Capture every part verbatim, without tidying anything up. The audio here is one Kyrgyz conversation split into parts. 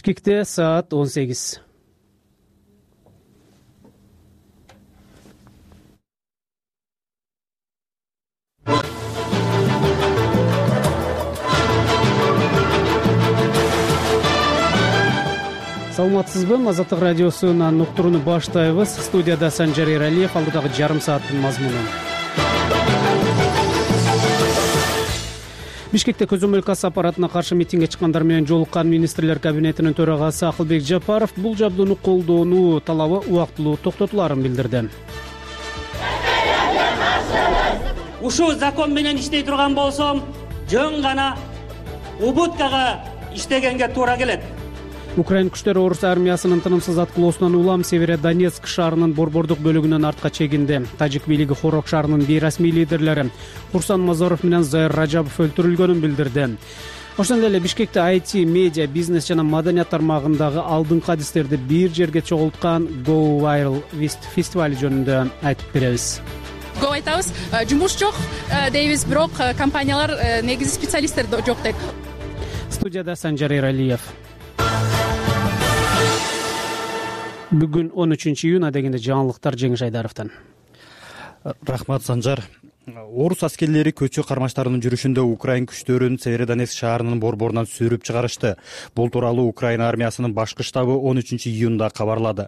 Бишкекте саат он сегиз. Саламатсызбы? Азаттык радиосунан уктурууну баштайбыз. Студияда Санжар Эралиев, алдыдагы жарым сааттын мазмуну. Бишкекте көзөмөл касса аппаратына каршы митингге чыккандар менен жолуккан министрлер кабинетинин төрагасы Акылбек Жапаров бул жабдууну колдоону талабы убактылуу токтотуларын билдирди. Ушул закон менен иштей турган болсом, жөн гана убуткага иштегенге туура келет. Украин күчтөрү орус армиясынын тынымсыз аткылоосунан улам Северодонецк шаарынын борбордук бөлүгүнөн артка чегинди. Тажик бийлиги Хорок шаарынын бейрасмий лидерлери Курсан Мазаров менен Зайыр Ражабов өлтүрүлгөнүн билдирди. Ошондой эле Бишкекте ай ти, медиа, бизнес жана маданият тармагындагы алдыңкы адистерди бир жерге чогулткан Go Viral фестивали жөнүндө айтып беребиз. Го айтабыз, жумуш жок дейбиз, бирок компаниялар негизи специалисттер жок дейт. Студияда Санжар Эралиев. Бүгүн он үчүнчү июнь, адегенде жаңылыктар Жеңиш Айдаровдон. Рахмат, Санжар. Орус аскерлери көчө кармаштарынын жүрүшүндө Украин күчтөрүн Северодонецк шаарынын борборунан сүрүп чыгарышты. Бул тууралуу Украина армиясынын башкы штабы он үчүнчү июнда кабарлады.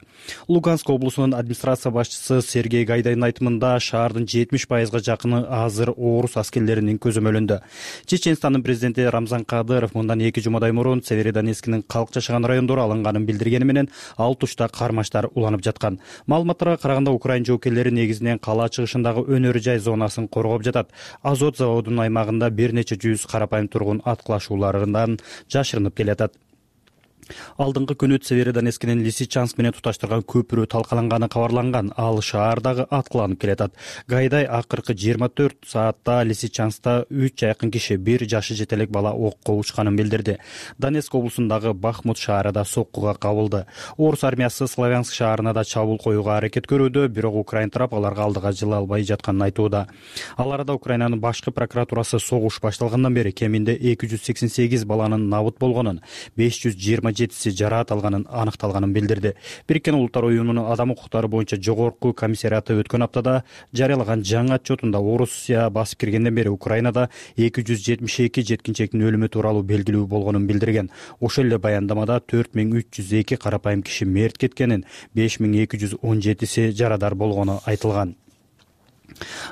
Луганск облусунун администрация башчысы Сергей Гайдайдын айтымында шаардын жетимиш пайызга жакыны азыр орус аскерлеринин көзөмөлүндө. Чеченстандын президенти Рамзан Кадыров мындан эки жумадай мурун Северодонецктин калк жашаган райондору алынганын билдиргени менен ал тушта кармаштар уланып жаткан. Маалыматтарга караганда Украин жоокерлери негизинен кала чыгышындагы өнөр жай зонасын коргоп жатат. Азот заводунун аймагында бир нече жүз карапайым тургун аткылашууларынан жашырынып келатат. Алдыңкы күнү Северодонецктин Лисичанск менен туташтырган көпүрө талкаланганы кабарланган. Ал шаардагы аткыланып келатат. Гайдай акыркы жыйырма төрт саатта Лисичанскта үч жакын киши, бир жашы жетелек бала окко учканын билдирди. Донецк облусундагы Бахмут шаары да соккуга кабылды. Орус армиясы Славянск шаарына да чабуул коюуга аракет көрүүдө, бирок Украин тарап аларга алдыга жыла албай жатканын айтууда. Ал арада Украинанын башкы прокуратурасы согуш башталгандан бери кеминде эки жүз сексен сегиз баланын набыт болгонун, беш жүз жыйырма жетиси жараат алганын аныкталганын билдирди. Бириккен Улуттар уюмунун адам укуктары боюнча жогорку комиссариаты өткөн аптада жарыялаган жаңы отчетунда Орусия басып киргенден бери Украинада эки жүз жетимиш эки жеткинчектин өлүмү тууралуу белгилүү болгонун билдирген. Ошол эле баяндамада төрт миң үч жүз эки карапайым киши мерт кеткенин, беш миң эки жүз он жетиси жарадар болгону айтылган.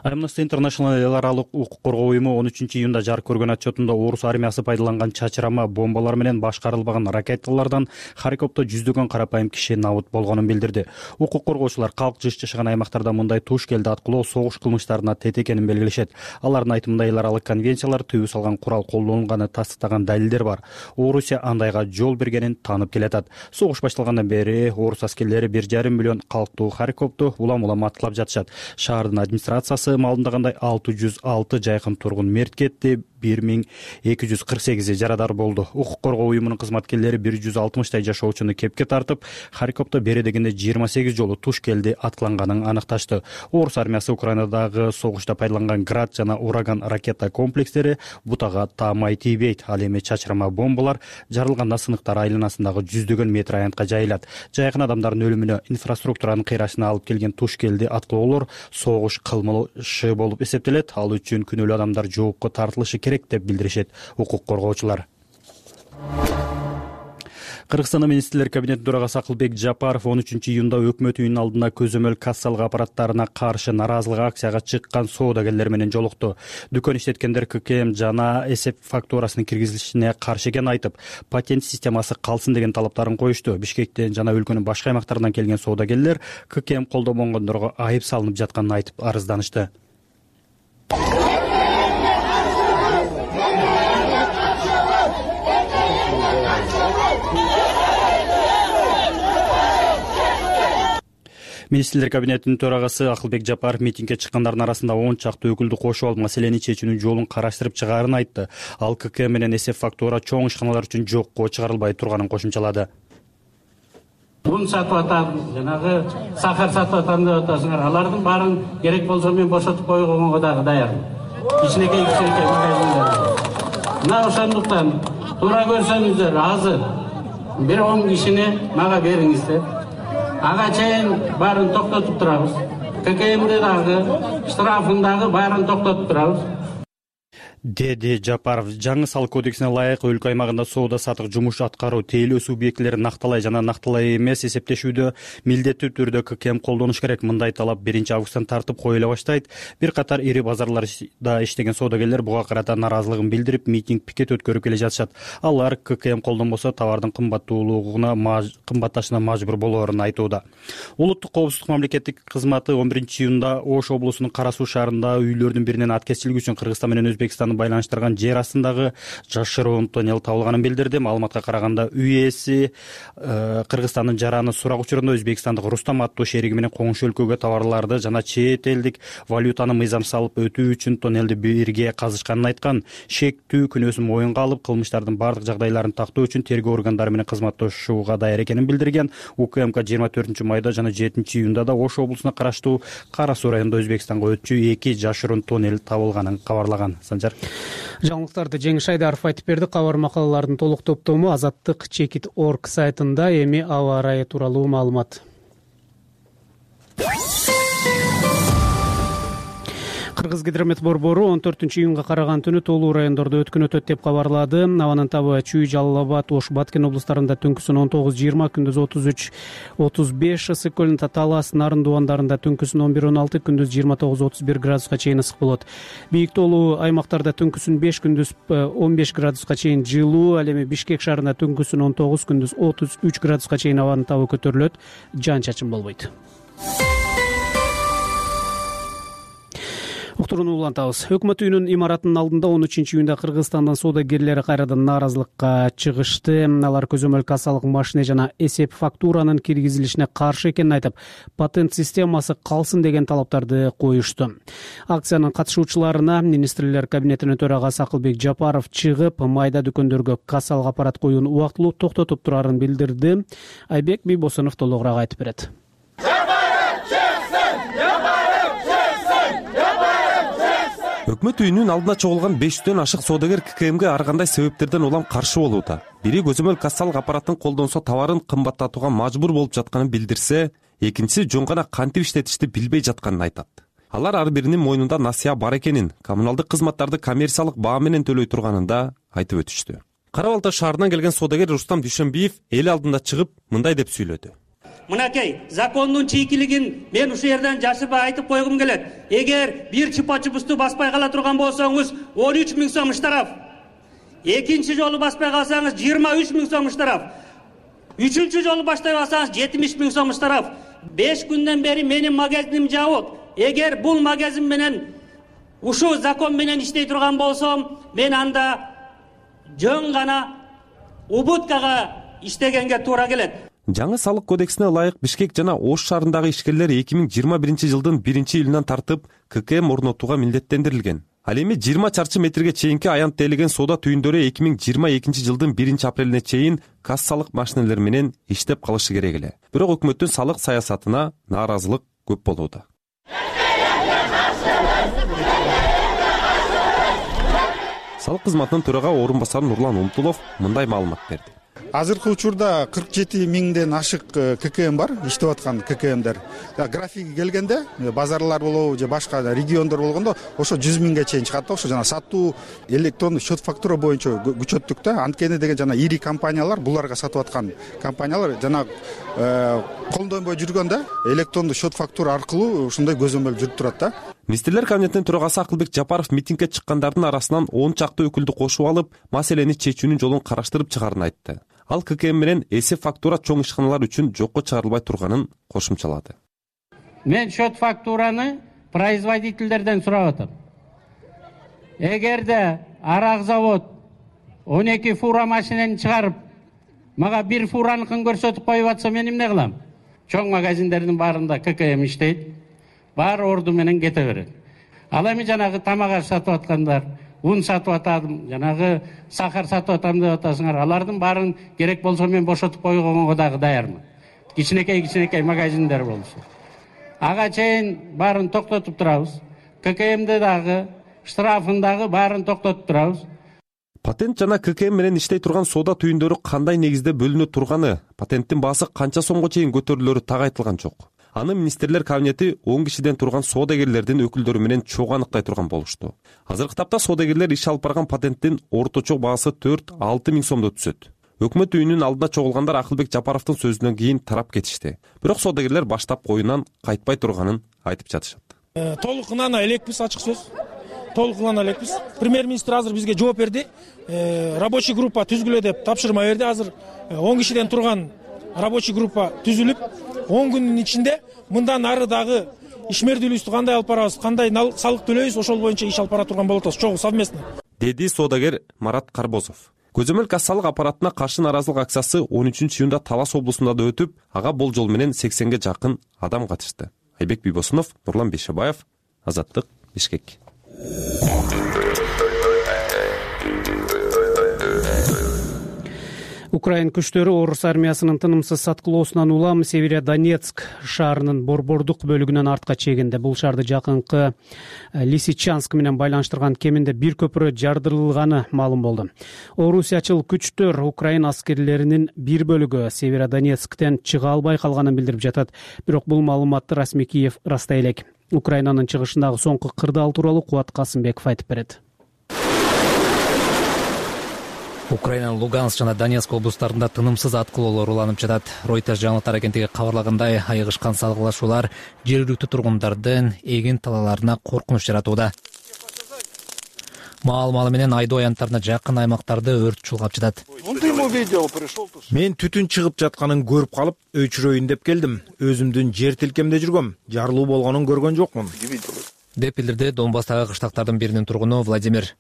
Amnesty International эл аралык укук коргоо уюму он үчүнчү июнда жарык көргөн отчетунда орус армиясы пайдаланган чачырама бомбалар менен башкарылбаган ракеталардан Харьковдо жүздөгөн карапайым киши набыт болгонун билдирди. Укук коргоочулар калк жыш жашаган аймактарда мындай туш келди аткылоо согуш кылмыштарына тет экенин белгилешет. Алардын айтымында эл аралык конвенциялар түбү салган курал колдонулганы тастыктаган далилдер бар. Орусия андайга жол бергенин таанып келатат. Согуш башталгандан бери орус аскерлери бир жарым миллион калктуу Харьковду улам-улам аткылап жатышат. Шаардын администрациясы маалымдагандай алты жүз алты жайкын тургун мерт кетти, бир миң эки жүз кырк сегизи жарадар болду. Укук коргоо уюмунун кызматкерлери бир жүз алтымыштай жашоочуну кепке тартып, Харьковдо бери дегенде жыйырма сегиз жолу туш келди аткыланганын аныкташты. Орус армиясы Украинадагы согушта пайдаланган Град жана Ураган ракета комплекстери бутага таамай тийбейт. Ал эми чачырама бомбалар жарылганда сыныктар айланасындагы жүздөгөн метр аянтка жайылат. Жайкын адамдардын өлүмүнө, инфраструктуранын кыйрашына алып келген туш келди аткылоолор согуш кылмышы болуп эсептелет. Ал үчүн күнөөлүү адамдар жоопко тартылышы керек деп билдиришет укук коргоочулар. Кыргызстандын министрлер кабинетинин төрагасы Акылбек Жапаров он үчүнчү июнда өкмөт үйүнүнүн алдына көзөмөл кассалык аппараттарына каршы наразылык акцияга чыккан соодагерлер менен жолукту. Дүкөн иштеткендер ка ка эм жана эсеп фактурасынын киргизилишине каршы экенин айтып, патент системасы калсын деген талаптарын коюшту. Бишкектен жана өлкөнүн башка аймактарынан келген соодагерлер ка ка эм колдобогондорго айып салынып жатканын айтып арызданышты. Министрлер кабинетинин төрагасы Акылбек Жапаров митингге чыккандардын арасында он чакты өкүлдү кошуп алып маселени чечүүнүн жолун караштырып чыгаарын айтты. Ал ка ка эм менен эсеп фактура чоң ишканалар үчүн жокко чыгарылбай турганын кошумчалады. Бун сатып атам, жанагы сахар сатып атам деп атасыңар. Алардын баарын керек болсо мен бошотуп койгонго дагы даяр. Кичинекей кичинекей магазиндар. Мына ошондуктан туура көрсөңүздөр азыр бир он кишини мага бериңиздер. Ага чейин баарын токтотуп турабыз. ККМди дагы, штрафын дагы баарын токтотуп турабыз. деди Жапаров. Жаңы салык кодексине ылайык өлкө аймагында соода саттык жумуш аткаруу тейлөө субъектилерин накталай жана накталай эмес эсептешүүдө милдеттүү түрдө ККМ колдонуш керек. Мындай талап биринчи августтан тартып коюла баштайт. Бир катар ири базарларда иштеген соодагерлер буга карата нааразылыгын билдирип, митинг, пикет өткөрүп келе жатышат. Алар ККМ колдонбосо товардын кымбаттуулугуна кымбатташына мажбур болоорун айтууда. Улуттук коопсуздук мамлекеттик кызматы он биринчи июнда Ош облусунун Кара Суу шаарындагы үйлөрдүн биринен аткезчилик үчүн Кыргызстан менен Өзбекстан байланыштырган жер астындагы жашыруун тоннел табылганын билдирди. Маалыматка караганда үй ээси Кыргызстандын жараны сурак учурунда Өзбекстандык Рустам аттуу шериги менен коңшу өлкөгө товарларды жана чет элдик валютаны мыйзам салып өтүү үчүн тоннелди бирге казышканын айткан. Шектүү күнөөсүн моюнга алып, кылмыштардын бардык жагдайларын тактоо үчүн тергөө органдары менен кызматташууга даяр экенин билдирген. УКМК жыйырма төртүнчү майда жана жетинчи июнда да Ош облусуна караштуу Кара Суу районунда Өзбекстанга өтчү эки жашыруун тоннел табылганын кабарлаган. Санжар. Жаңылыктарды Жеңиш Айдаров айтып берди. Кабар макалалардын толук топтому Азаттык чекит точка орг сайтында. Эми аба ырайы тууралуу маалымат. Кыргызгидромет борбору он төртүнчү июнга караган түнү толуу райондордо өткөн өтөт деп кабарлады. Абанын табы Чүй, Жалал Абад, Ош, Баткен облустарында түнкүсүн он тогуз жыйырма, күндүз отуз үч отуз беш ысык көлүн Талас, Нарын дубандарында түнкүсүн он бир он алты, күндүз жыйырма тогуз отуз бир градуска чейин ысык болот. Бийик тоолуу аймактарда түнкүсүн беш, күндүз он беш градуска чейин жылуу. Ал эми Бишкек шаарында түнкүсүн он тогуз, күндүз отуз үч градуска чейин абанын табы көтөрүлөт. Жан чачын болбойт. Уктурууну улантабыз. Өкмөт үйүнүн имаратынын алдында он үчүнчү июнда Кыргызстандын соодагерлери кайрадан нааразылыкка чыгышты. Алар көзөмөл кассалык машина жана эсеп фактуранын киргизилишине каршы экенин айтып, патент системасы калсын деген талаптарды коюшту. Акциянын катышуучуларына министрлер кабинетинин төрагасы Акылбек Жапаров чыгып, майда дүкөндөргө кассалык аппарат коюуну убактылуу токтотуп турарын билдирди. Айбек Бийбосунов толугураак айтып берет. Өкмөт үйүнүн алдына чогулган беш жүздөн ашык соодагер ККМге ар кандай себептерден улам каршы болууда. Бири көзөмөл кассалык аппаратын колдонсо товарын кымбаттатууга мажбур болуп жатканын билдирсе, экинчиси жөн гана кантип иштетишти билбей жатканын айтат. Алар ар биринин мойнунда насыя бар экенин, коммуналдык кызматтарды коммерциялык баа менен төлөй турганын да айтып өтүштү. Кара Балта шаарынан келген соодагер Рустам Дүйшөнбиев эл алдында чыгып мындай деп сүйлөдү. Мынакей, закондун чийкилигин мен ушул жерден жашырбай айтып койгум келет. Эгер бир чупа-чупусту баспай кала турган болсоңуз, он үч миң сом штраф. Экинчи жолу баспай калсаңыз, жыйырма үч миң сом штраф. Үчүнчү жолу баштай калсаңыз, жетимиш миң сом штраф. беш күндөн бери менин магазиним жабык. Эгер бул магазин менен ушул закон менен иштей турган болсом, мен анда жөн гана убуткага иштегенге туура келет. Жаңы салык кодексине ылайык Бишкек жана Ош шаарындагы ишкерлер эки миң жыйырма биринчи жылдын биринчи июлунан тартып ККМ орнотууга милдеттендирилген. Ал эми жыйырма чарчы метрге чейинки аянт тейлеген соода түйүндөрү эки миң жыйырма экинчи жылдын биринчи апрелине чейин кассалык машинелер менен иштеп калышы керек эле. Бирок өкмөттүн салык саясатына нааразылык көп болууда. Салык кызматынын төрага орун басары Нурлан Умтулов мындай маалымат берди. Азыркы учурда кырк жети миңден ашык ККМ бар, иштеп аткан ККМдер. Графиги келгенде базарлар болобу же башка региондор болгондо ошо жүз миңге чейин чыгат да. Ошо жана сатуу электрондук счет фактура боюнча күчөттүк да. Анткени деген жана ири компаниялар, буларга сатып аткан компаниялар жана колдонбой жүргөндө электрондук счет фактура аркылуу ушундай көзөмөл жүрүп турат да. Министрлер кабинетинин төрагасы Акылбек Жапаров митингге чыккандардын арасынан он чакты өкүлдү кошуп алып, маселени чечүүнүн жолун караштырып чыгарын айтты. Ал ККМ менен эсеп фактура чоң ишканалар үчүн жокко чыгарылбай турганын кошумчалады. Мен счет фактураны производительдерден сурап атам. Эгерде арак завод он эки фура машинени чыгарып, мага бир фураныкын көрсөтүп коюп атса, мен эмне кылам? Чоң магазиндердин баарында ККМ иштейт. Бар орду менен кете берет. Ал эми жанагы тамак аш сатып аткандар, ун сатып атам, жанагы сахар сатып атам деп атасыңар. Алардын баарын керек болсо мен бошотуп койгонго дагы даярмын. Кичинекей кичинекей магазиндер болсо. Ага чейин баарын токтотуп турабыз. ККМди дагы, штрафын дагы баарын токтотуп турабыз. патент жана ККМ менен иштей турган соода түйүндөрү кандай негизде бөлүнө турганы, патенттин баасы канча сомго чейин көтөрүлөрү так айтылган жок. Аны министрлер кабинети он кишиден турган соодагерлердин өкүлдөрү менен чогуу аныктай турган болушту. Азыркы тапта соодагерлер иш алып барган патенттин орточо баасы төрт алты миң сомдо түшөт. Өкмөт үйүнүн алдына чогулгандар Акылбек Жапаровдун сөзүнөн кийин тарап кетишти. Бирок соодагерлер баштап коюунан кайтпай турганын айтып жатышат. Толук ынана элекпиз, ачык сөз. Толук ынана элекпиз. Премьер-министр азыр бизге жооп берди. Рабочий группа түзгүлө деп тапшырма берди. Азыр он кишиден турган рабочий группа түзүлүп, он күндүн ичинде мындан ары дагы ишмердүүлүктү кандай алып барабыз, кандай салык төлөйбүз, ошол боюнча иш алып бара турган болот атабыз, чогуу совместно. Деди соодагер Марат Карбозов. Көзөмөл кассалык аппаратына каршы нааразылык акциясы он үчүнчү июнда Талас облусунда да өтүп, ага болжол менен сексенге жакын адам катышты. Айбек Бийбосунов, Нурлан Бейшебаев, Азаттык, Бишкек. Украин күчтөрү орус армиясынын тынымсыз саткылоосунан улам Северодонецк шаарынын борбордук бөлүгүнөн артка чегинди. Бул шаарды жакынкы Лисичанск менен байланыштырган кеминде бир көпүрө жардырылганы маалым болду. Орусиячыл күчтөр Украин аскерлеринин бир бөлүгү Северодонецктен чыга албай калганын билдирип жатат. Бирок бул маалыматты расмий Киев ырастай элек. Украинанын чыгышындагы соңку кырдаал тууралуу Кубат Касымбеков айтып берет. Украинанын Луганск жана Донецк облустарында тынымсыз аткылоолор уланып жатат. Reuters жаңылыктар агенттиги кабарлагандай, айыгышкан салгылашуулар жергиликтүү тургундардын эгин талааларына коркунуч жаратууда. Маал-маалы менен айдоо аянттарына жакын аймактарды өрт чулгап жатат. Мен түтүн чыгып жатканын көрүп калып, өчүрөйүн деп келдим. Өзүмдүн жер тилкемде жүргөм. Жарылуу болгонун көргөн жокмун, деп билдирди Донбасстагы кыштактардын биринин тургуну Владимир.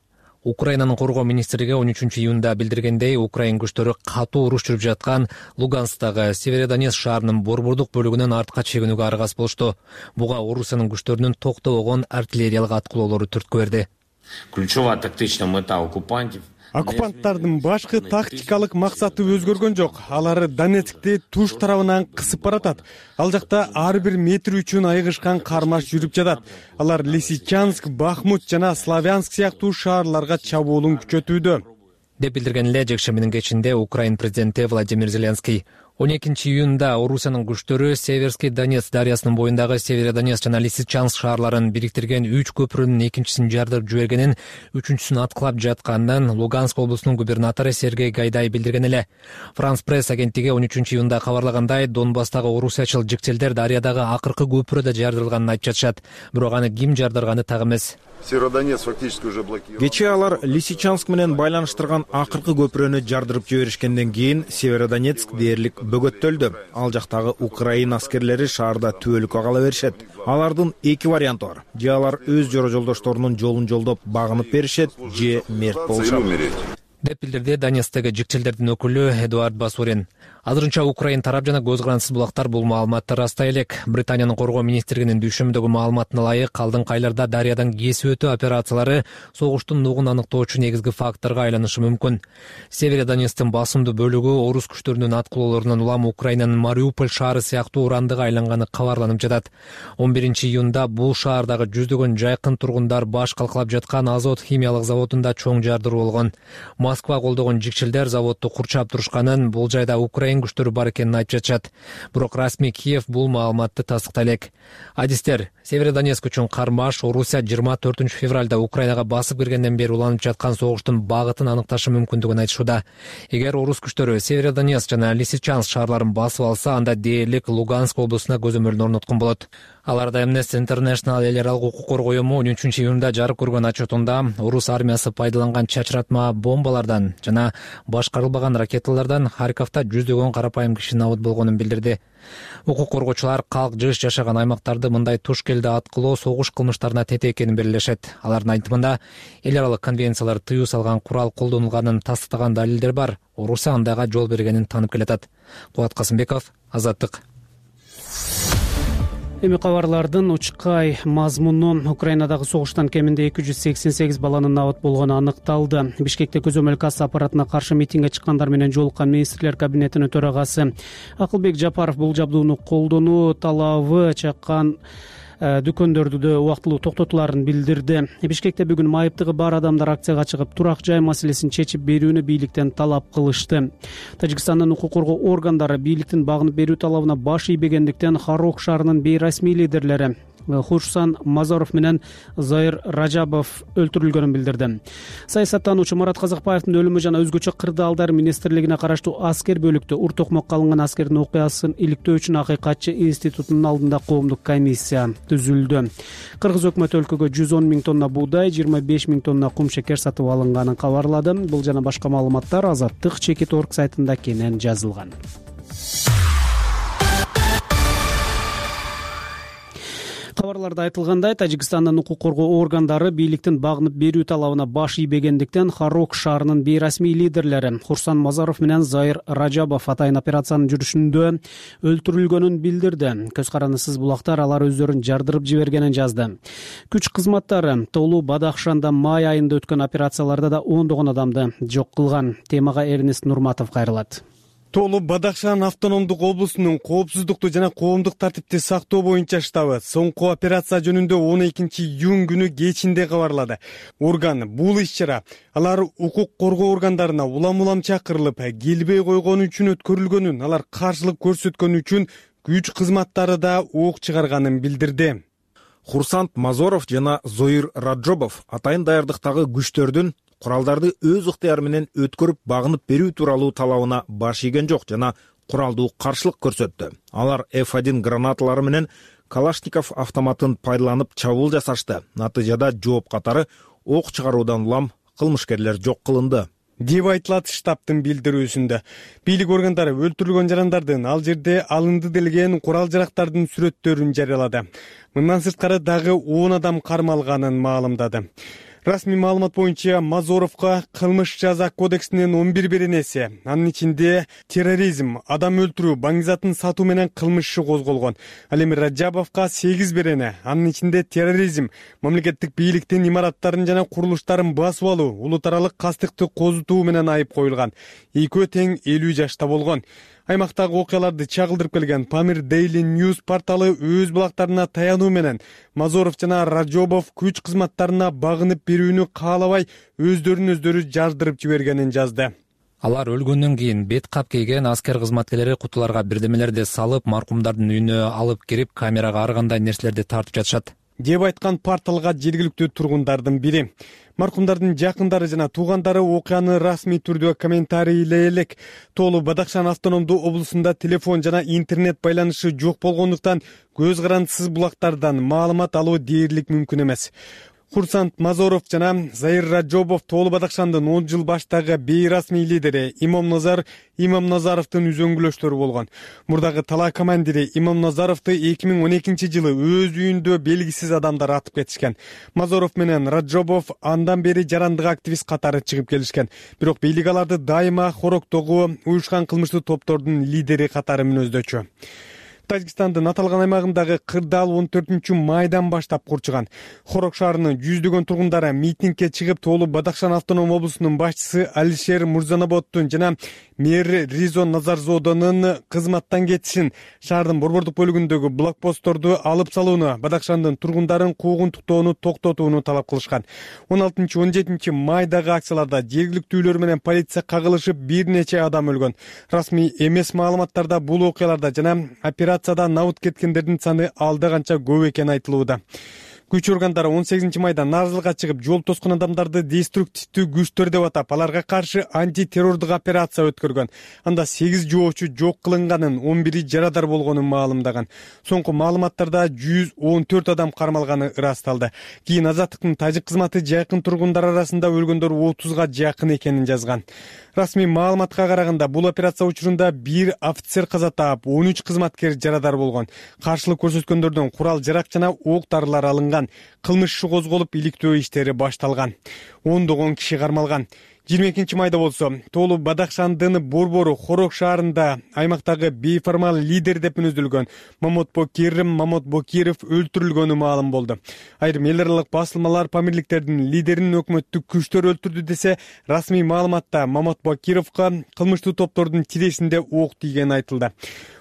Украинанын коргоо министрлиги он үчүнчү июнда билдиргендей, Украин күчтөрү катуу уруш жүрүп жаткан Луганскдагы Северодонецк шаарынын борбордук бөлүгүнөн артка чегинүүгө аргасыз болушту. Буга Орусиянын күчтөрүнүн токтобогон артиллериялык аткылоолору түрткү берди. Ключевая тактичная мета оккупантов. Оккупанттардын башкы тактикалык максаты өзгөргөн жок. Алар Донецкти туш тарабынан кысып баратат. Ал жакта ар бир метр үчүн айыгышкан кармаш жүрүп жатат. Алар Лисичанск, Бахмут жана Славянск сыяктуу шаарларга чабуулун күчөтүүдө, деп билдирген эле жекшембинин кечинде Украин президенти Владимир Зеленский. он экинчи июнда Орусиянын күчтөрү Северский Донец дарыясынын боюндагы Северодонецк жана Лисичанск шаарларын бириктирген үч көпүрөнүн экинчисин жардырып жибергенин, үчүнчүсүн аткылап жатканын Луганск облусунун губернатору Сергей Гайдай билдирген эле. Франс пресс агенттиги он үчүнчү июнда кабарлагандай, Донбасстагы орусиячыл жикчелдер дарыядагы акыркы көпүрөдө жардырылганын айтып жатышат. Бирок аны ким жардырганы так эмес. Кечээ алар Лисичанск менен байланыштырган акыркы көпүрөнү жардырып жиберишкенден кийин Северодонецк дээрлик бөгөттөлдү. Ал жактагы Украин аскерлери шаарда түбөлүккө кала беришет. Алардын эки варианты бар. Же алар өз жора жолдошторунун жолун жолдоп багынып беришет, же мерт болушат, деп билдирди Донецктеги жикчелдердин өкүлү Эдуард Басурин. Азырынча Украин тарап жана көз карандысыз булактар бул маалыматты ырастай элек. Британиянын коргоо министрлигинин дүйшөмдөгү маалыматына ылайык, алдыңкы айларда дарыядан кесип өтүү операциялары согуштун нугун аныктоочу негизги факторго айланышы мүмкүн. Северодонецктин басымдуу бөлүгү орус күчтөрүнүн аткылоолорунан улам Украинанын Мариуполь шаары сыяктуу урандыга айланганы кабарланып жатат. он биринчи июнда бул шаардагы жүздөгөн жайкын тургундар баш калкалап жаткан Азот химиялык заводунда чоң жардыруу болгон. Москва колдогон жикчелдер заводду курчап турушканын, бул жайда Украин күчтөрү бар экенин айтып жатышат. Бирок расмий Киев бул маалыматты тастыктай элек. Адистер, Северодонецк үчүн кармаш Орусия жыйырма төртүнчү февралда Украинага басып киргенден бери уланып жаткан согуштун багытын аныкташы мүмкүндүгүн айтышууда. Эгер орус күчтөрү Северодонецк жана Лисичанск шаарларын басып алса, анда дээрлик Луганск облусуна көзөмөлүн орноткон болот. Аларда Amnesty International эл аралык укук коргоо уюму он үчүнчү июнда жарык көргөн отчетунда орус армиясы пайдаланган чачыратма бомбалардан жана башкарылбаган ракеталардан Харьковда жүздөгөн карапайым киши набыт болгонун билдирди. Укук коргоочулар калк жыш жашаган аймактарды мындай туш келди аткылоо согуш кылмыштарына тете экенин белгилешет. Алардын айтымында, эл аралык конвенциялар тыюу салган курал колдонулганын тастыктаган далилдер бар. Орусия андайга жол бергенин танып келатат. Кубат Касымбеков, Азаттык. Эми кабарлардын учкай мазмуну: Украинадагы согуштан кеминде эки жүз сексен сегиз баланын набыт болгону аныкталды. Бишкекте көзөмөл касса аппаратына каршы митингге чыккандар менен жолуккан министрлер кабинетинин төрагасы Акылбек Жапаров бул жабдууну колдонуу талабы чаккан дүкөндөрдү да убактылуу токтотуларын билдирди. Бишкекте бүгүн майыптыгы бар адамдар акцияга чыгып турак жай маселесин чечип берүүнү бийликтен талап кылышты. Тажикстандын укук коргоо органдары бийликтин багынып берүү талабына баш ийбегендиктен Хорок шаарынын бейрасмий лидерлери Хурсан Мазоров менен Зайыр Ражабов өлтүрүлгөнүн билдирди. Саясаттануучу Марат Казакбаевдин өлүмү жана өзгөчө кырдаалдар министрлигине караштуу аскер бөлүктө ур токмокко алынган аскердин окуясын иликтөө үчүн Акыйкатчы институтунун алдында коомдук комиссия түзүлдү. Кыргыз өкмөтү өлкөгө жүз он миң тонна буудай, жыйырма беш миң тонна кум шекер сатып алынганын кабарлады. Бул жана башка маалыматтар Азаттык Чекит орг сайтында кенен жазылган. Кабарларда айтылгандай, Тажикстандын укук коргоо органдары бийликтин багынып берүү талабына баш ийбегендиктен Хорок шаарынын бейрасмий лидерлери Хурсан Мазоров менен Зайыр Ражабов атайын операциянын жүрүшүндө өлтүрүлгөнүн билдирди. Көз карандысыз булактар алар өздөрүн жардырып жибергенин жазды. Күч кызматтары Толу Бадахшанда май айында өткөн операцияларда да ондогон адамды жок кылган. Темага Эрнест Нурматов кайрылат. Толу Бадахшан автономдук облусунун коопсуздукту жана коомдук тартипти сактоо боюнча штабы соңку операция жөнүндө он экинчи июнь күнү кечинде кабарлады. Орган бул иш-чара алар укук коргоо органдарына улам-улам чакырылып, келбей койгон үчүн өткөрүлгөнүн, алар каршылык көрсөткөн үчүн күч кызматтары да ок чыгарганын билдирди. Хурсан Мазоров жана Зайыр Ражабов атайын даярдыктагы күчтөрдүн куралдарды өз ыктыяры менен өткөрүп багынып берүү тууралуу талабына баш ийген жок жана куралдуу каршылык көрсөттү. Алар эф один гранаталары менен Калашников автоматын пайдаланып чабуул жасашты. Натыйжада жооп катары ок чыгаруудан улам кылмышкерлер жок кылынды деп айтылат штабтын билдирүүсүндө. Бийлик органдары өлтүрүлгөн жарандардын ал жерде алынды делген курал жарактардын сүрөттөрүн жарыялады. Мындан сырткары дагы он адам кармалганын маалымдады. Расмий маалымат боюнча Мазоровго кылмыш жаза кодексинин он бир беренеси, анын ичинде терроризм, адам өлтүрүү, баңгизатын сатуу менен кылмыш иши козголгон. Ал эми Ражабовго сегиз берене, анын ичинде терроризм, мамлекеттик бийликтин имараттарын жана курулуштарын басып алуу, улут аралык кастыкты козутуу менен айып коюлган. Экөө тең элүү жашта болгон. Аймактагы окуяларды чагылдырып келген Pamir Daily News порталы өз булактарына таянуу менен Мазоров жана Ражабов күч кызматтарына багынып берүүнү каалабай өздөрүн өздөрү жардырып жибергенин жазды. Алар өлгөндөн кийин бет кап кийген аскер кызматкерлери кутуларга бирдемелерди салып, маркумдардын үйүнө алып кирип, камерага ар кандай нерселерди тартып жатышат деп айткан порталга жергиликтүү тургундардын бири. Маркумдардын жакындары жана туугандары окуяны расмий түрдө комментарийлей элек. Толу Бадахшан автономдуу облусунда телефон жана интернет байланышы жок болгондуктан көз карандысыз булактардан маалымат алуу дээрлик мүмкүн эмес. Хурсан Мазоров жана Зайыр Ражабов Толу Бадахшандын он жыл баштагы бейрасмий лидери Имам Назар Имам Назаровдун үзөңгүлөштөрү болгон. Мурдагы талаа командири Имам Назаровду эки миң он экинчи жылы өз үйүндө белгисиз адамдар атып кетишкен. Мазоров менен Ражабов андан бери жарандык активист катары чыгып келишкен. Бирок бийлик аларды дайыма Хорокдогу уюшкан кылмыштуу топтордун лидери катары мүнөздөчү. Тажикстандын аталган аймагындагы кырдаал он төртүнчү майдан баштап курчуган. Хорок шаарынын жүздөгөн тургундары митингге чыгып, Толу Бадахшан автоном облусунун башчысы Алишер Мурзанаботтун жана мэр Ризо Назарзодонун кызматтан кетишин, шаардын борбордук бөлүгүндөгү блокпостторду алып салууну, Бадахшандын тургундарын куугунтуктоону токтотууну талап кылышкан. он алтынчы он жетинчи майдагы акцияларда жергиликтүүлөр менен полиция кагылышып, бир нече адам өлгөн. Расмий эмес маалыматтарда бул окуяларда жана операцияда набыт кеткендердин саны алда канча көп экени айтылууда. Күч органдары он сегизинчи майда нааразылыкка чыгып, жол тоскон адамдарды деструктивдүү күчтөр деп атап, аларга каршы антитеррордук операция өткөргөн. Анда сегиз жоочу жок кылынганын, он бири жарадар болгонун маалымдаган. Соңку маалыматтарда жүз он төрт адам кармалганы ырасталды. Кийин Азаттыктын тажик кызматы жакын тургундар арасында өлгөндөр отузга жакын экенин жазган. Расмий маалыматка караганда, бул операция учурунда бир офицер каза таап, он үч кызматкер жарадар болгон. Каршылык көрсөткөндөрдөн курал жарак жана ок дарылар алынган. Кылмыш иши козголуп, иликтөө иштери башталган. ондогон киши кармалган. жыйырма экинчи майда болсо, Толу Бадахшандын борбору Хорок шаарында аймактагы бейформал лидер деп мүнөздөлгөн Мамот Бокирим Мамот Бокиров өлтүрүлгөнү маалым болду. Айрым эл аралык басылмалар Памирликтердин лидерин өкмөттүк күчтөр өлтүрдү десе, расмий маалыматта Мамот Бокировго кылмыштуу топтордун тирешинде ок тийгени айтылды.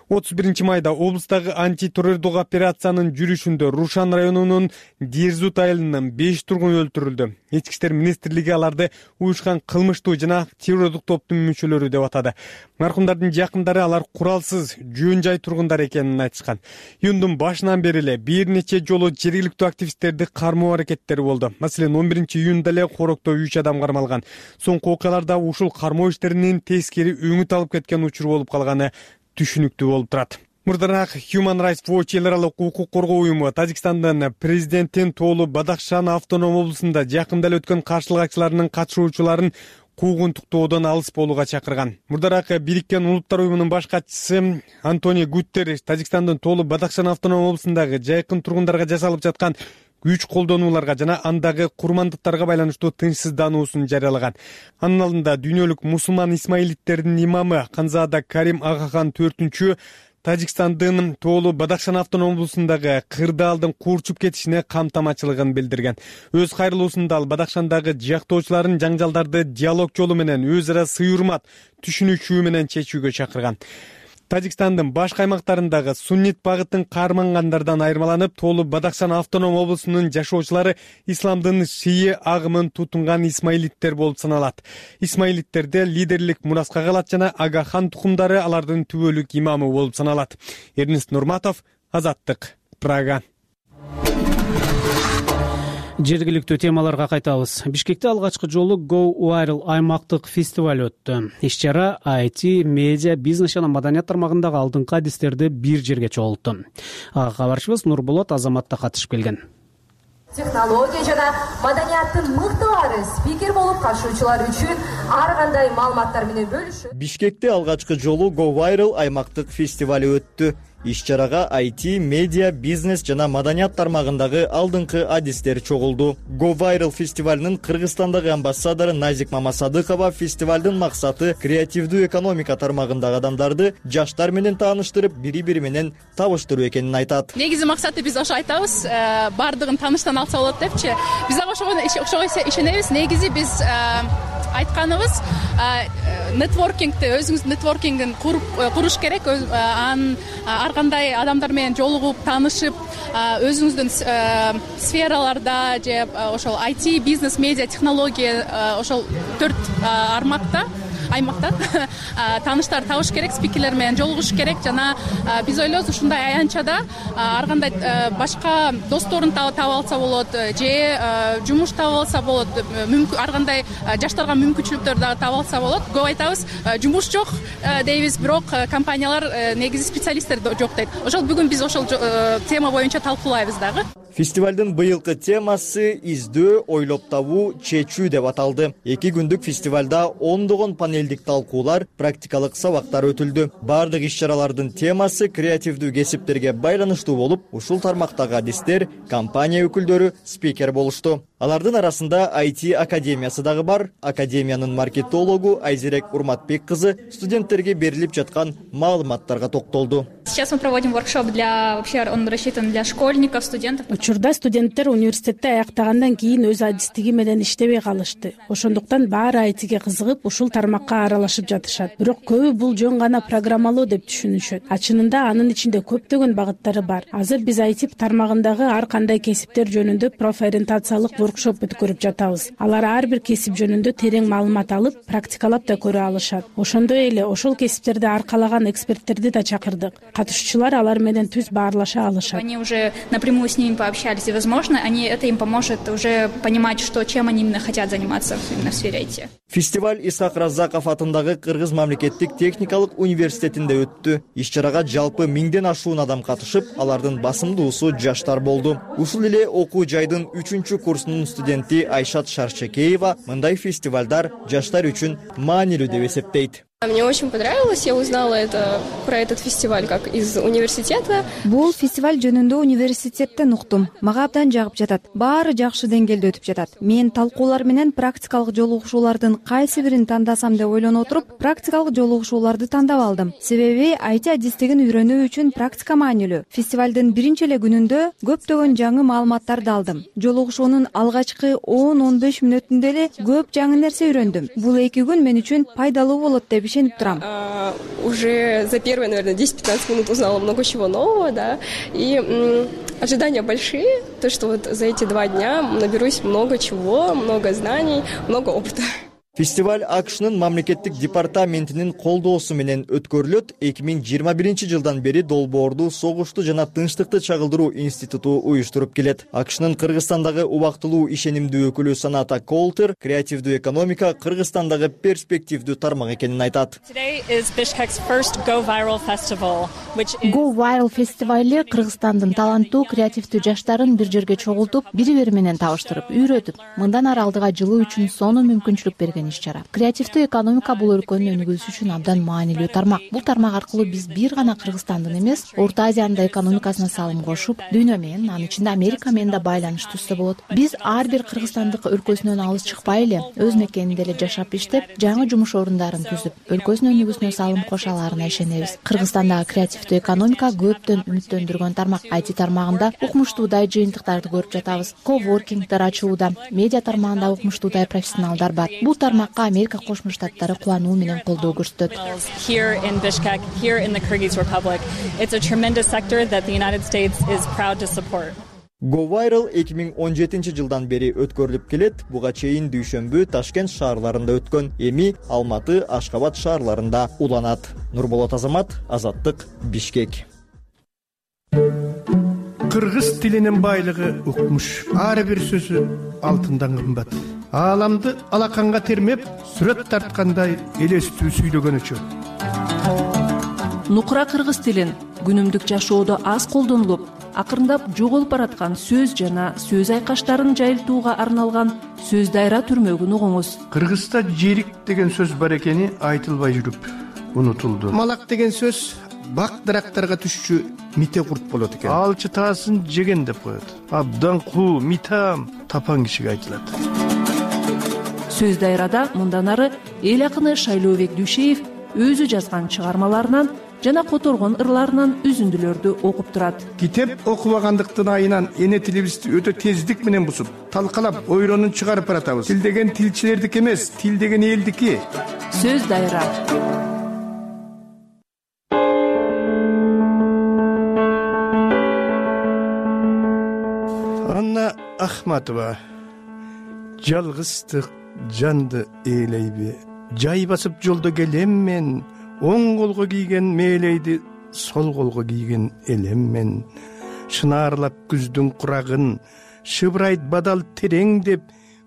отуз биринчи майда облустагы антитеррордук операциянын жүрүшүндө Рушан районунун Дерзут айылынан беш тургун өлтүрүлдү. Ички иштер министрлиги аларды уюшкан кылмыштуу жана террордук топтун мүчөлөрү деп атады. Маркумдардын жакындары алар куралсыз жөн жай тургундар экенин айтышкан. Июндун башынан бери эле бир нече жолу жергиликтүү активисттерди кармоо аракеттери болду. Маселен, он биринчи июнда эле Хорокто үч адам кармалган. Соңку окуяларда ушул кармоо иштеринин тескери өңүт алып кеткен учур болуп калганы түшүнүктүү болуп турат. Мурдараак Human Rights Watch эл аралык укук коргоо уюму Тажикстандын президенттин Тоолу Бадахшан автоном облусунда жакында эле өткөн каршылык акцияларынын катышуучуларын куугунтуктоодон алыс болууга чакырган. Мурдараак Бириккен Улуттар уюмунун баш катчысы Антонио Гутерриш Тажикстандын Тоолу Бадахшан автоном облусундагы жайкын тургундарга жасалып жаткан күч колдонууларга жана андагы курмандыктарга байланыштуу тынчсыздануусун жарыялаган. Анын алдында дүйнөлүк мусулман исмаилиттердин имамы Канзада Карим Агахан төртүнчү Тажикстандын Тоолу Бадахшан автоном облусундагы кырдаалдын курчуп кетишине камтамачылыгын билдирген. Өз кайрылуусунда ал Бадахшандагы жактоочуларын жаңжалдарды диалог жолу менен өз ара сый-урмат, түшүнүшүү менен чечүүгө чакырган. Тажикстандын башка аймактарындагы суннит багыттын кармангандардан айырмаланып, Тоолу Бадахшан автоном облусунун жашоочулары исламдын шии агымын тутунган исмаилиттер болуп саналат. Исмаилиттерде лидерлик Мураска калат жана Агахан тукумдары алардын түбөлүк имамы болуп саналат. Эрнест Нурматов, Азаттык, Прага. Жергиликтүү темаларга кайтабыз. Бишкекте алгачкы жолу Go Viral аймактык фестиваль өттү. Иш-чара ай ти, медиа, бизнес жана маданият тармагындагы алдыңкы адистерди бир жерге чогултту. Ага кабарчыбыз Нурболот Азаматта катышып келген. Технология жана маданияттын мыктылары спикер болуп катышуучулар үчүн ар кандай маалыматтар менен бөлүшүп. Бишкекте алгачкы жолу Go Viral аймактык фестиваль өттү. Иш-чарага ай ти, медиа, бизнес жана маданият тармагындагы алдыңкы адистер чогулду. Go Viral фестивалынын Кыргызстандагы амбассадору Назик Мамасадыкова фестивалдын максаты креативдүү экономика тармагындагы адамдарды жаштар менен тааныштырып, бири-бири менен табыштыруу экенин айтат. Негизи максаты биз ошо айтабыз, бардыгын тааныштан алса болот депчи. Биз ошого ишенебиз. Негизи биз айтканыбыз нетворкингти, өзүңүздүн нетворкингин куруш керек. Анын ар кандай адамдар менен жолугуп, таанышып, өзүңүздүн сфераларда же ошол ай ти, бизнес, медиа, технология ошол төрт армакта аймакта тааныштар табыш керек, спикерлер менен жолугуш керек жана биз ойлойбуз ушундай аянтчада ар кандай башка досторун таап алса болот же жумуш таап алса болот, ар кандай жаштарга мүмкүнчүлүктөр дагы таап алса болот. Көп айтабыз, жумуш жок дейбиз, бирок компаниялар негизи специалисттер жок дейт. Ошол бүгүн биз ошол тема боюнча талкуулайбыз дагы. Фестивалдын быйылкы темасы издөө, ойлоп табуу, чечүү деп аталды. Эки күндүк фестивалда ондогон панелдик талкуулар, практикалык сабактар өтүлдү. Бардык иш-чаралардын темасы креативдүү кесиптерге байланыштуу болуп, ушул тармактагы адистер, компания өкүлдөрү спикер болушту. Алардын арасында ай ти академиясы дагы бар. Академиянын маркетологу Айзерек Урматбек кызы студенттерге берилип жаткан маалыматтарга токтолду. Сейчас мы проводим воркшоп для, вообще он рассчитан для школьников, студентов. Учурда студенттер университетте аяктагандан кийин өз адистиги менен иштебей калышты. Ошондуктан баары ай тиге кызыгып, ушул тармакка аралашып жатышат. Бирок көбү бул жөн гана программалоо деп түшүнүшөт. А чынында анын ичинде көптөгөн багыттары бар. Азыр биз ай ти тармагындагы ар кандай кесиптер жөнүндө профориентациялык воркшоп өткөрүп жатабыз. Алар ар бир кесип жөнүндө терең маалымат алып, практикалап да көрө алышат. Ошондой эле ошол кесиптерди аркалаган эксперттерди да чакырдык. Катышуучулар алар менен түз баарлаша алышат. Они уже напрямую с ними пообщались, и, возможно, они, это им поможет уже понимать, что, чем они именно хотят заниматься именно в сфере ай ти. Фестиваль Исхак Раззаков атындагы Кыргыз мамлекеттик техникалык университетинде өттү. Иш-чарага жалпы миңден ашуун адам катышып, алардын басымдуусу жаштар болду. Ушул эле окуу жайдын үчүнчү курсунун студенти Айшат Шаршекеева мындай фестивалдар жаштар үчүн маанилүү деп эсептейт. Мне очень понравилось, я узнала это, про этот фестиваль как из университета. Бул фестиваль жөнүндө университеттен уктум. Мага абдан жагып жатат. Баары жакшы деңгээлде өтүп жатат. Мен талкуулар менен практикалык жолугушуулардын кайсы бирин тандасам деп ойлонуп отуруп, практикалык жолугушууларды тандап алдым. Себеби ай ти адистигин үйрөнүү үчүн практика маанилүү. Фестивалдын биринчи эле күнүндө көптөгөн жаңы маалыматтарды алдым. Жолугушуунун алгачкы он он беш мүнөтүндө эле көп жаңы нерсе үйрөндүм. Бул эки күн мен үчүн пайдалуу болот деп деп ишенип турам. Уже за первые, наверное, десять-пятнадцать минут узнала много чего нового, да, и ожидания большие, то, что вот за эти два дня наберусь много чего, много знаний, много опыта. Фестиваль АКШнын мамлекеттик департаментинин колдоосу менен өткөрүлөт. эки миң жыйырма биринчи жылдан бери долбоорду Согушту жана Тынчтыкты чагылдыруу институту уюштуруп келет. АКШнын Кыргызстандагы убактылуу ишенимдүү өкүлү Саната Колтер креативдүү экономика Кыргызстандагы перспективдүү тармак экенин айтат. Go Viral фестивали Кыргызстандын таланттуу креативдүү жаштарын бир жерге чогултуп, бири-бири менен табыштырып, үйрөтүп, мындан ары алдыга жылуу үчүн сонун мүмкүнчүлүк берген иш-чара. Креативдүү экономика бул өлкөнүн өнүгүүсү үчүн абдан маанилүү тармак. Бул тармак аркылуу биз бир гана Кыргызстандын эмес, Орто Азиянын да экономикасына салым кошуп, дүйнө менен, анын ичинде Америка менен да байланыш түзсө болот. Биз ар бир кыргызстандык өлкөсүнөн алыс чыкпай эле, өз мекенинде эле жашап иштеп, жаңы жумуш орундарын түзүп, өлкөсүнүн өнүгүүсүнө салым коша аларына ишенебиз. Кыргызстандагы креативдүү экономика көптөн үмүттөндүргөн тармак. ай ти тармагында укмуштуудай жыйынтыктарды көрүп жатабыз. Коворкингдер ачууда, медиа тармагында укмуштуудай профессионалдар бар. Бул тармакка Америка Кошмо Штаттары кубануу менен колдоо көрсөтөт. Go Viral эки миң он жетинчи жылдан бери өткөрүлүп келет. Буга чейин дүйшөмбү Ташкент шаарларында өткөн, эми Алматы, Ашкабад шаарларында уланат. Нурболот Азамат, Азаттык, Бишкек. Кыргыз тилинин байлыгы укмуш. Ар бир сөзү алтындан кымбат. Ааламды алаканга термеп, сүрөт тарткандай элестүү сүйлөгөнүчү. Нукура кыргыз тилин күнүмдүк жашоодо аз колдонулуп, акырындап жоголуп бараткан сөз жана сөз айкаштарын жайылтууга арналган сөз дайра түрмөгүн угуңуз. Кыргызда жерик деген сөз бар экени айтылбай жүрүп унутулду. Малак деген сөз бак дарактарга түшчү мите курт болот экен. Алчы таасын жеген деп коет. Абдан куу, митам, тапан кишиге айтылат. Сөз дайрада мындан ары эл акыны Шайлообек Дүйшеев өзү жазган чыгармаларынан жана которгон ырларынан үзүндүлөрдү окуп турат. Китеп окубагандыктын айынан эне тилибизди өтө тездик менен бусуп, талкалап, ойронун чыгарып баратабыз. Тил деген тилчилердики эмес, тил деген элдики. Сөз дайра. Анна Ахматова. Жалгыздык жанды ээлейби. Жай басып жолдо келем мен, оң колго кийген мээлейди сол колго кийген элем мен. Шынаарлап күздүн курагын, шыбырайт бадал терең деп,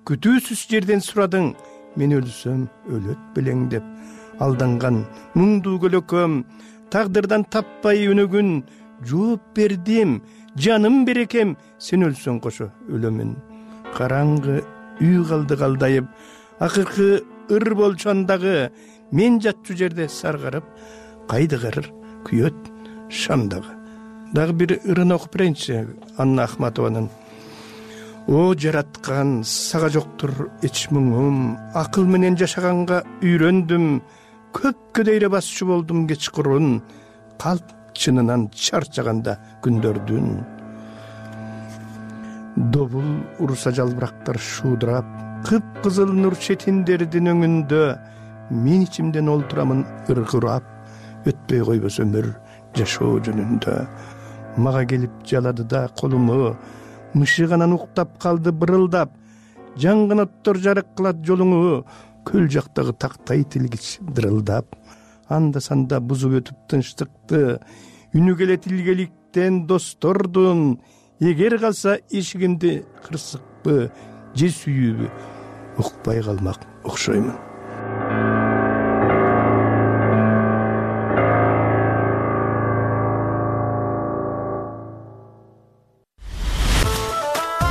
күтүүсүз жерден сурадың, мен өлсөм өлөт белең деп. Алданган муңдуу көлөкөм, тагдырдан таппай өнөгүн, жооп бердим, жаным берекем, сен өлсөң кошо өлөмүн. Караңгы үй калды калдайып, акыркы ыр болчондагы, мен жатчу жерде саргарып, кайдыгыр күйөт шамдагы. Дагы бир ырын окуп берейинчи Анна Ахматованын. О жараткан, сага жоктур эч муңум, акыл менен жашаганга үйрөндүм, көпкө дейре басчу болдум кечкурун, калп чынынан чарчаганда күндөрдүн. Добул уруса жалбырактар шуудурап, кып-кызыл нур четиндердин өңүндө, мен ичимден олтурамын ыргырап, өтпөй койбос өмүр жашоо жөнүндө. Мага келип жалады да колуму, мышыганан уктап калды бырылдап, жанган оттор жарык кылат жолуңу, көл жактагы тактай тилгич дырылдап. Анда санда бузуп өтүп тынчтыкты, үнү келет илгеликтен достордун, эгер калса эшигимди кырсыкпы, же сүйүүбү, укпай калмак окшоймун.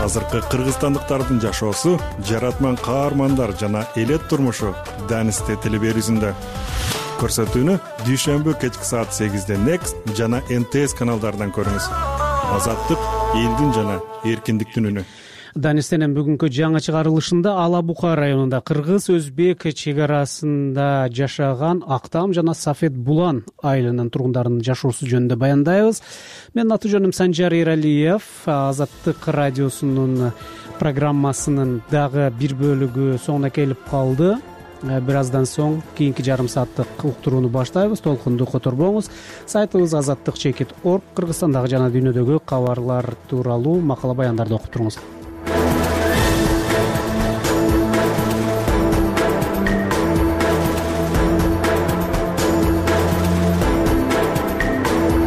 Азыркы кыргызстандыктардын жашоосу, жаратман каармандар жана элет турмушу Данисте телеберүүсүндө. Көрсөтүүнү дүйшөмбү кечки саат сегизде Next жана эн тэ эс каналдарынан көрүңүз. Азаттык элдин жана эркиндиктин үнү. Данистенин бүгүнкү жаңы чыгарылышында Ала Бука районунда кыргыз-өзбек чек арасында жашаган Актам жана Сафет Булан айылынын тургундарынын жашоосу жөнүндө баяндайбыз. Менин аты жөнүм Санжар Эралиев. Азаттык радиосунун программасынын дагы бир бөлүгү соңуна келип калды. бир аздан соң кийинки жарым сааттык уктурууну баштайбыз. Толкунду которбоңуз. Сайтыбыз азаттык чекит точка орг кыргызстандагы жана дүйнөдөгү кабарлар тууралуу макала баяндарды окуп туруңуз.